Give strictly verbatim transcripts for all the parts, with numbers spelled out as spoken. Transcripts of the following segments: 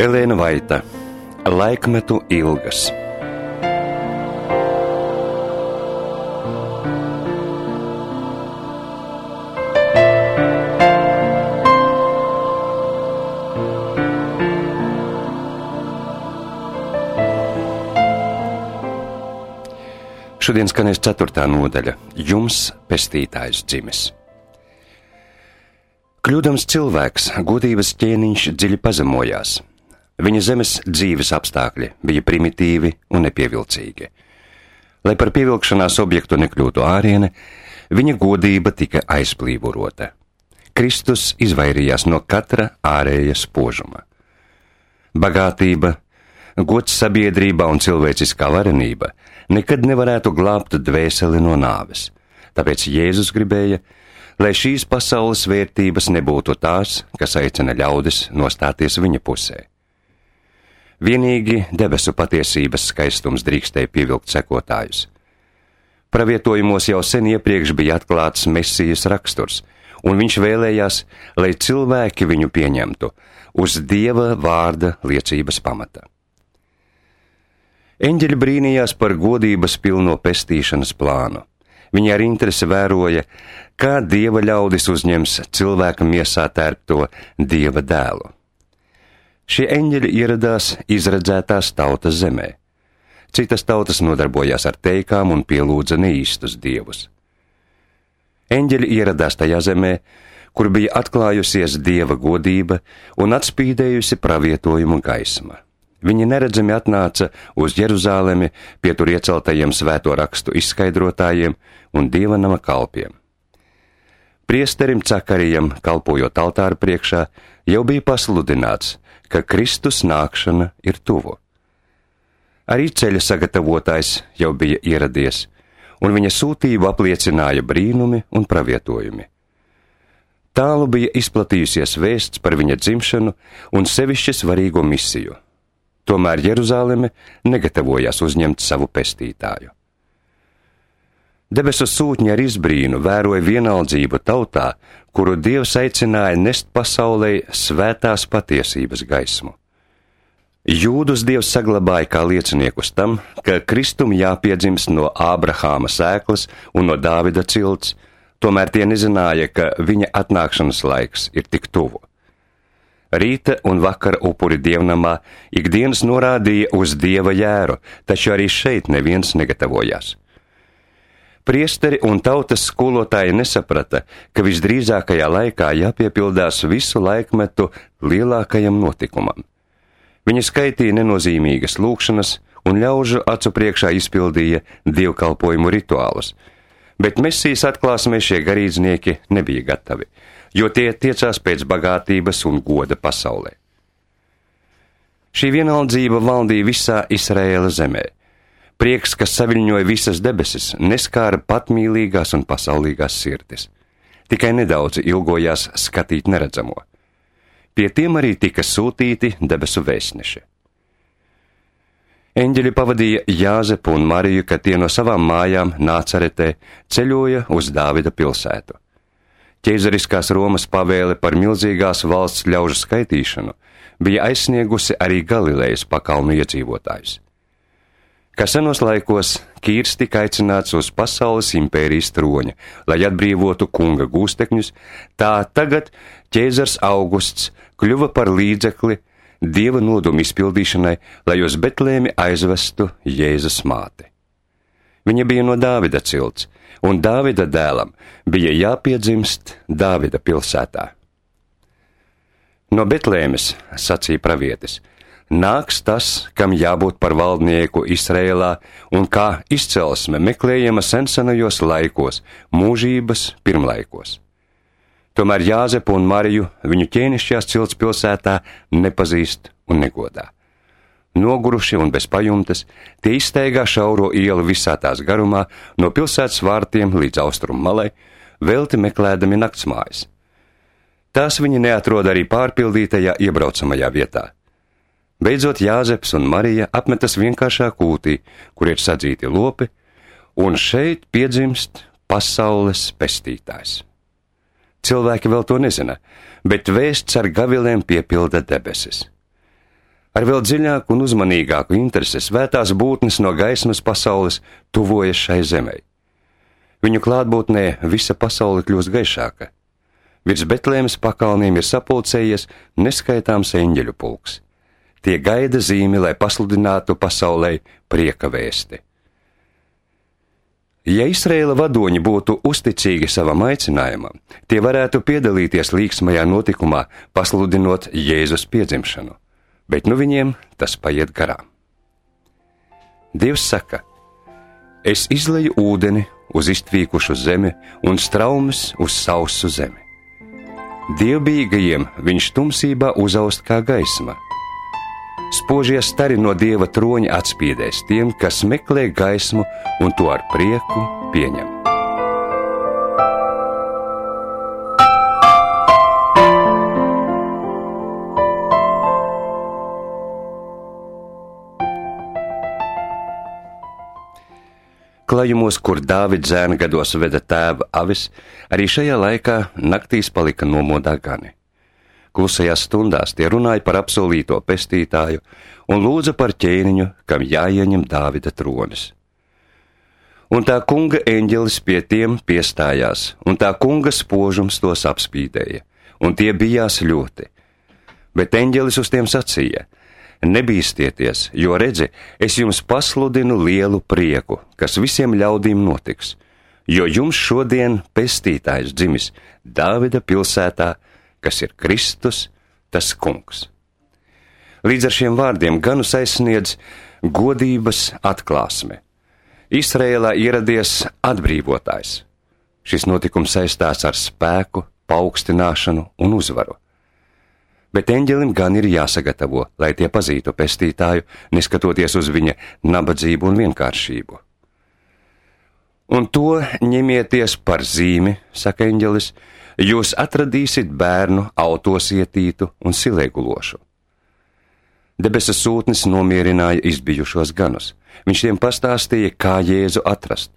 Elēna Vaita, Laikmetu ilgas. Šodien skanēs ceturtā nodaļa – Jums pestītājs dzimis. Kļūdams cilvēks, godības ķēniņš dziļi pazemojās. Viņa zemes dzīves apstākļi bija primitīvi un nepievilcīgi. Lai par pievilkšanās objektu nekļūtu āriene, viņa godība tika aizplīvurota. Kristus izvairījās no katra ārēja spožuma. Bagātība, gods sabiedrībā un cilvēciskā varenība nekad nevarētu glābt dvēseli no nāves. Tāpēc Jēzus gribēja, lai šīs pasaules vērtības nebūtu tās, kas aicina ļaudis nostāties viņa pusē. Vienīgi debesu patiesības skaistums drīkstēja pievilkt sekotājus. Pravietojumos jau sen iepriekš bija atklāts Mesijas raksturs, un viņš vēlējās, lai cilvēki viņu pieņemtu uz Dieva vārda liecības pamata. Eņģeļi brīnījās par godības pilno pestīšanas plānu. Viņi ar interesi vēroja, kā Dieva ļaudis uzņems cilvēka miesā tērpto Dieva dēlu. Šie eņģeļi ieradās izredzētās tautas zemē. Citas tautas nodarbojās ar teikām un pielūdza neīstus dievus. Eņģeļi ieradās tajā zemē, kur bija atklājusies Dieva godība un atspīdējusi pravietojumu gaisma. Viņi neredzami atnāca uz Jeruzālemi pie tur ieceltajiem svēto rakstu izskaidrotājiem un Dieva nama kalpiem. Priesterim Cakarijam, kalpojot altāra priekšā, jau bija pasludināts, ka Kristus nākšana ir tuvu. Arī ceļa sagatavotājs jau bija ieradies, un viņa sūtību apliecināja brīnumi un pravietojumi. Tālu bija izplatījusies vēsts par viņa dzimšanu un sevišķi svarīgo misiju. Tomēr Jeruzāleme negatavojās uzņemt savu pestītāju. Debesu sūtņi ar izbrīnu vēroja vienaldzību tautā, kuru Dievs aicināja nest pasaulē svētās patiesības gaismu. Jūdus Dievs saglabāja kā lieciniekus tam, ka Kristum jāpiedzimst no Ābrahāma sēklas un no Dāvida cilts, tomēr tie nezināja, ka viņa atnākšanas laiks ir tik tuvu. Rīta un vakara upuri dievnamā ikdienas norādīja uz Dieva jēru, taču arī šeit neviens negatavojās. Priesteri un tautas skolotāji nesaprata, ka visdrīzākajā laikā jāpiepildās visu laikmetu lielākajam notikumam. Viņi skaitīja nenozīmīgas lūkšanas un ļaužu acu priekšā izpildīja dievkalpojumu rituālus, bet Mesijas atklāsmē šie garīdznieki nebija gatavi, jo tie tiecās pēc bagātības un goda pasaulē. Šī vienaldzība valdīja visā Izraēla zemē. Prieks, kas saviļņoja visas debesis, neskāra patmīlīgās un pasaulīgās sirdis. Tikai nedaudzi ilgojās skatīt neredzamo. Pie tiem arī tika sūtīti debesu vēstneši. Eņģeļi pavadīja Jāzepu un Mariju, kad tie no savām mājām Nācaretē ceļoja uz Dāvida pilsētu. Ķeizariskās Romas pavēle par milzīgās valsts ļaužu skaitīšanu bija aizsniegusi arī Galilejas pakalnu iedzīvotājus. Kā senos laikos Kīrs tika aicināts uz pasaules impērijas troņa, lai atbrīvotu kunga gūstekņus, tā tagad ķēzars Augusts kļuva par līdzekli Dieva nodomu izpildīšanai, lai uz Betlēmi aizvestu Jēzus māti. Viņa bija no Dāvida cilts, un Dāvida dēlam bija jāpiedzimst Dāvida pilsētā. No Betlēmes, sacīja pravietis, nāks tas, kam jābūt par valdnieku Izrēlā un kā izcelsme meklējama sensenajos laikos, mūžības pirmlaikos. Tomēr Jāzepu un Mariju viņu ķēnišķās cilts pilsētā nepazīst un negodā. Noguruši un bez pajumtes, tie izsteigā šauro ielu visā tās garumā, no pilsētas vārtiem līdz austrumu malai, velti meklēdami naktsmājas. Tās viņi neatrod arī pārpildītajā iebraucamajā vietā. Beidzot Jāzeps un Marija apmetas vienkāršā kūtī, kur ir sadzīti lopi, un šeit piedzimst pasaules pestītājs. Cilvēki vēl to nezina, bet vēsts ar gavilēm piepilda debesis. Ar vēl dziļāku un uzmanīgāku interesi svētās būtnes no gaismas pasaules tuvojas šai zemei. Viņu klātbūtnē visa pasaule kļūst gaišāka. Virs Betlēmes pakalniem ir sapulcējies neskaitāms eņģeļu pulks. Tie gaida zīmi, lai pasludinātu pasaulei prieka vēsti. Ja Izraēla vadoņi būtu uzticīgi savam aicinājumam, tie varētu piedalīties līksmajā notikumā, pasludinot Jēzus piedzimšanu, bet nu viņiem tas paiet garām. Dievs saka: es izleju ūdeni uz iztvīkušu zemi un straumes uz sausu zemi. Dievbijīgajiem viņš tumsībā uzaust kā gaisma. Spožie stari no Dieva troņa atspīdēs tiem, kas meklē gaismu un to ar prieku pieņem. Klajumos, kur Dāvida zēna gados veda tēva avis, arī šajā laikā naktīs palika nomodā gani. Klusajās stundās tie runāja par apsolīto pestītāju un lūdza par ķēniņu, kam jāieņem Dāvida tronis. Un tā kunga eņģelis pie tiem piestājās, un tā kunga spožums tos apspīdēja, un tie bijās ļoti. Bet eņģelis uz tiem sacīja: nebīstieties, jo redzi, es jums pasludinu lielu prieku, kas visiem ļaudīm notiks, jo jums šodien pestītājs dzimis Dāvida pilsētā, kas ir Kristus, tas kungs. Līdz ar šiem vārdiem ganus aizsniedz godības atklāsme. Izraēlā ieradies atbrīvotājs. Šis notikums saistās ar spēku, paaugstināšanu un uzvaru. Bet eņģelim gan ir jāsagatavo, lai tie pazītu pestītāju, neskatoties uz viņa nabadzību un vienkāršību. Un to ņemieties par zīmi, saka eņģelis, jūs atradīsiet bērnu autos ietītu un silēgulošu. Debesa sūtnis nomierināja izbijušos ganus. Viņš tiem pastāstīja, kā Jēzu atrast.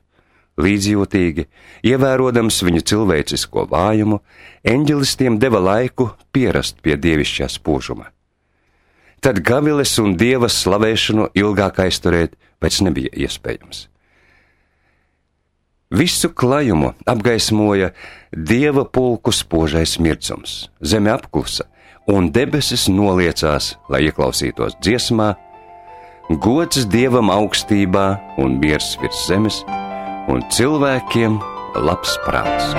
Līdzjūtīgi, ievērodams viņu cilvēcisko vājumu, eņģelis tiem deva laiku pierast pie dievišķā spožuma. Tad gaviles un Dieva slavēšanu ilgāk aizturēt vairs nebija iespējams. Visu klajumu apgaismoja Dieva pulku spožais mirdzums, zeme apklusa, un debesis noliecās, lai ieklausītos dziesmā: gods Dievam augstībā un miers virs zemes, un cilvēkiem labs prāts.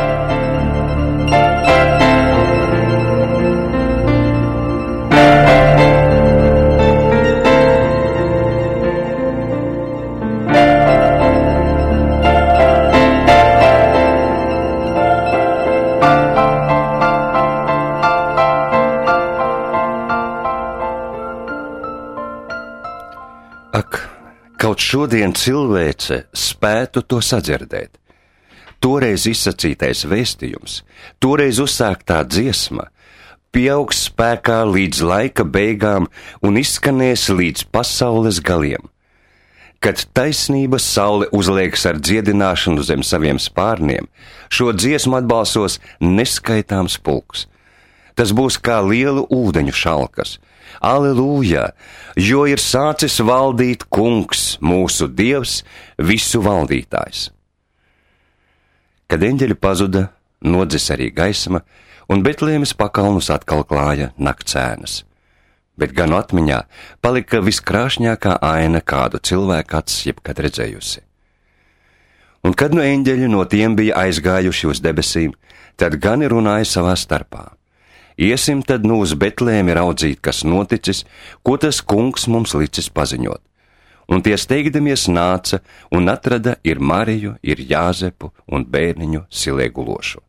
Ak, kaut šodien cilvēce spētu to sadzirdēt. Toreiz izsacītais vēstījums, toreiz uzsāktā dziesma, pieaugs spēkā līdz laika beigām un izskanēs līdz pasaules galiem. Kad taisnības saule uzliekas ar dziedināšanu zem saviem spārniem, šo dziesmu atbalsos neskaitāms pulks. Tas būs kā lielu ūdeņu šalkas. Aleluja, jo ir sācis valdīt kungs, mūsu Dievs, visu valdītājs. Kad eņģeļi pazuda, nodzis arī gaisma, un Betlēmes pakalnus atkal klāja naktsēnas. Bet gan atmiņā palika viskrāšņākā aina, kādu cilvēku acis jebkad redzējusi. Un kad nu eņģeļi no tiem bija aizgājuši uz debesīm, tad gani runāja savā starpā: iesim tad nu uz Betlēmi raudzīt, kas noticis, ko tas kungs mums licis paziņot. Un tie steigdamies nāca un atrada ir Mariju, ir Jāzepu un bērniņu silēgulošu.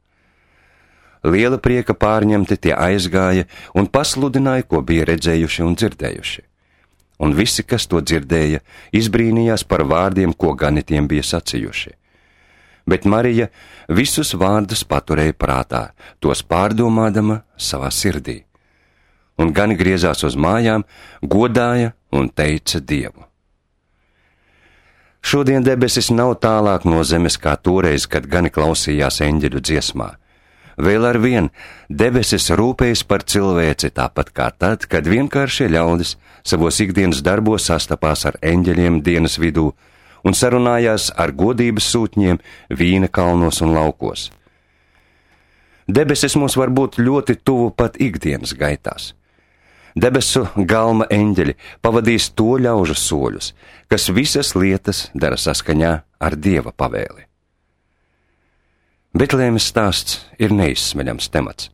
Liela prieka pārņemti tie aizgāja un pasludināja, ko bija redzējuši un dzirdējuši. Un visi, kas to dzirdēja, izbrīnījās par vārdiem, ko gani tiem bija sacījuši. Bet Marija visus vārdus paturēja prātā, tos pārdomādama savā sirdī. Un gani griezās uz mājām, godāja un teica Dievu. Šodien debesis nav tālāk no zemes kā toreiz, kad gani klausījās eņģeļu dziesmā. Vēl ar vien debesis rūpējas par cilvēci tāpat kā tad, kad vienkāršie ļaudis savos ikdienas darbos sastapās ar eņģeļiem dienas vidū un sarunājās ar godības sūtņiem vīna kalnos un laukos. Debesis mums var būt ļoti tuvu pat ikdienas gaitās. Debesu galma eņģeļi pavadīs to ļaužu soļus, kas visas lietas dara saskaņā ar Dieva pavēli. Betlēmes stāsts ir neizsmeļams temats.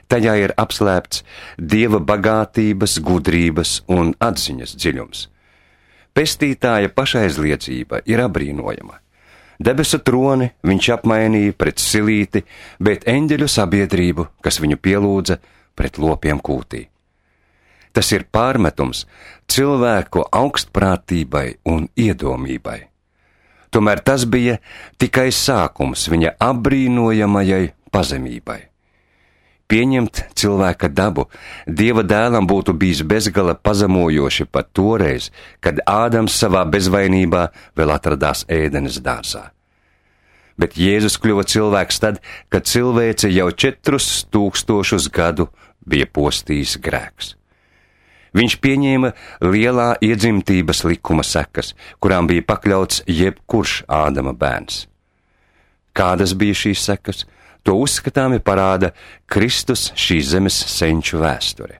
Tajā ir apslēpts Dieva bagātības, gudrības un atziņas dziļums. Pestītāja pašaizliedzība ir abrīnojama. Debesu troni viņš apmainīja pret silīti, bet eņģeļu sabiedrību, kas viņu pielūdza, pret lopiem kūtī. Tas ir pārmetums cilvēku augstprātībai un iedomībai. Tomēr tas bija tikai sākums viņa apbrīnojamajai pazemībai. Pieņemt cilvēka dabu Dieva dēlam būtu bijis bezgala pazemojoši pat toreiz, kad Ādams savā bezvainībā vēl atradās ēdenes dārzā. Bet Jēzus kļuva cilvēks tad, kad cilvēce jau četrus tūkstošus gadu bija postījis grēks. Viņš pieņēma lielā iedzimtības likuma sekas, kurām bija pakļauts jebkurš Ādama bērns. Kādas bija šīs sekas? To uzskatāmi parāda Kristus šīs zemes senču vēsture.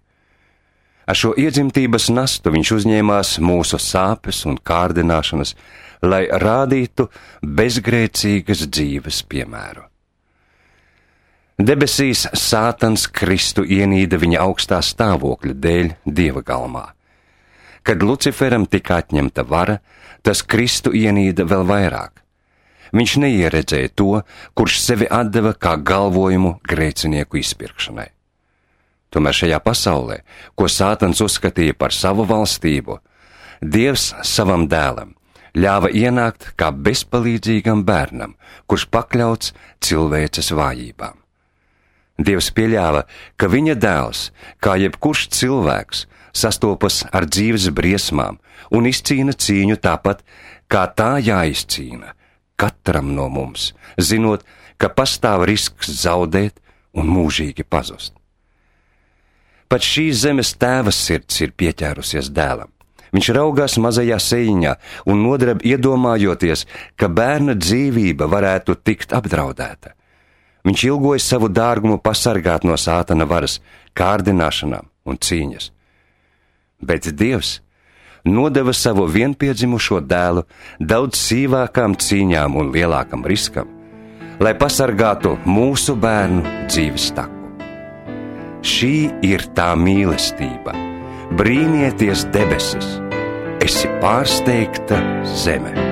Ar šo iedzimtības nastu viņš uzņēmās mūsu sāpes un kārdināšanas, lai rādītu bezgrēcīgas dzīves piemēru. Debesīs Sātans Kristu ienīda viņa augstā stāvokļa dēļ Dieva galmā. Kad Luciferam tika atņemta vara, tas Kristu ienīda vēl vairāk. Viņš neieredzēja to, kurš sevi atdeva kā galvojumu grēcinieku izpirkšanai. Tomēr šajā pasaulē, ko Sātans uzskatīja par savu valstību, Dievs savam dēlam ļāva ienākt kā bezpalīdzīgam bērnam, kurš pakļauts cilvēces vājībām. Dievs pieļāva, ka viņa dēls, kā jebkurš cilvēks, sastopas ar dzīves briesmām un izcīna cīņu tāpat, kā tā jāizcīna katram no mums, zinot, ka pastāv risks zaudēt un mūžīgi pazust. Pat šīs zemes tēva sirds ir pieķērusies dēlam. Viņš raugās mazajā seiņā un nodreb iedomājoties, ka bērna dzīvība varētu tikt apdraudēta. Viņš ilgojas savu dārgumu pasargāt no Sātana varas, kārdināšanām un cīņas. Bet Dievs nodeva savu vienpiedzimušo dēlu daudz sīvākām cīņām un lielākam riskam, lai pasargātu mūsu bērnu dzīves taku. Šī ir tā mīlestība. Brīnieties debesis, esi pārsteigta zeme.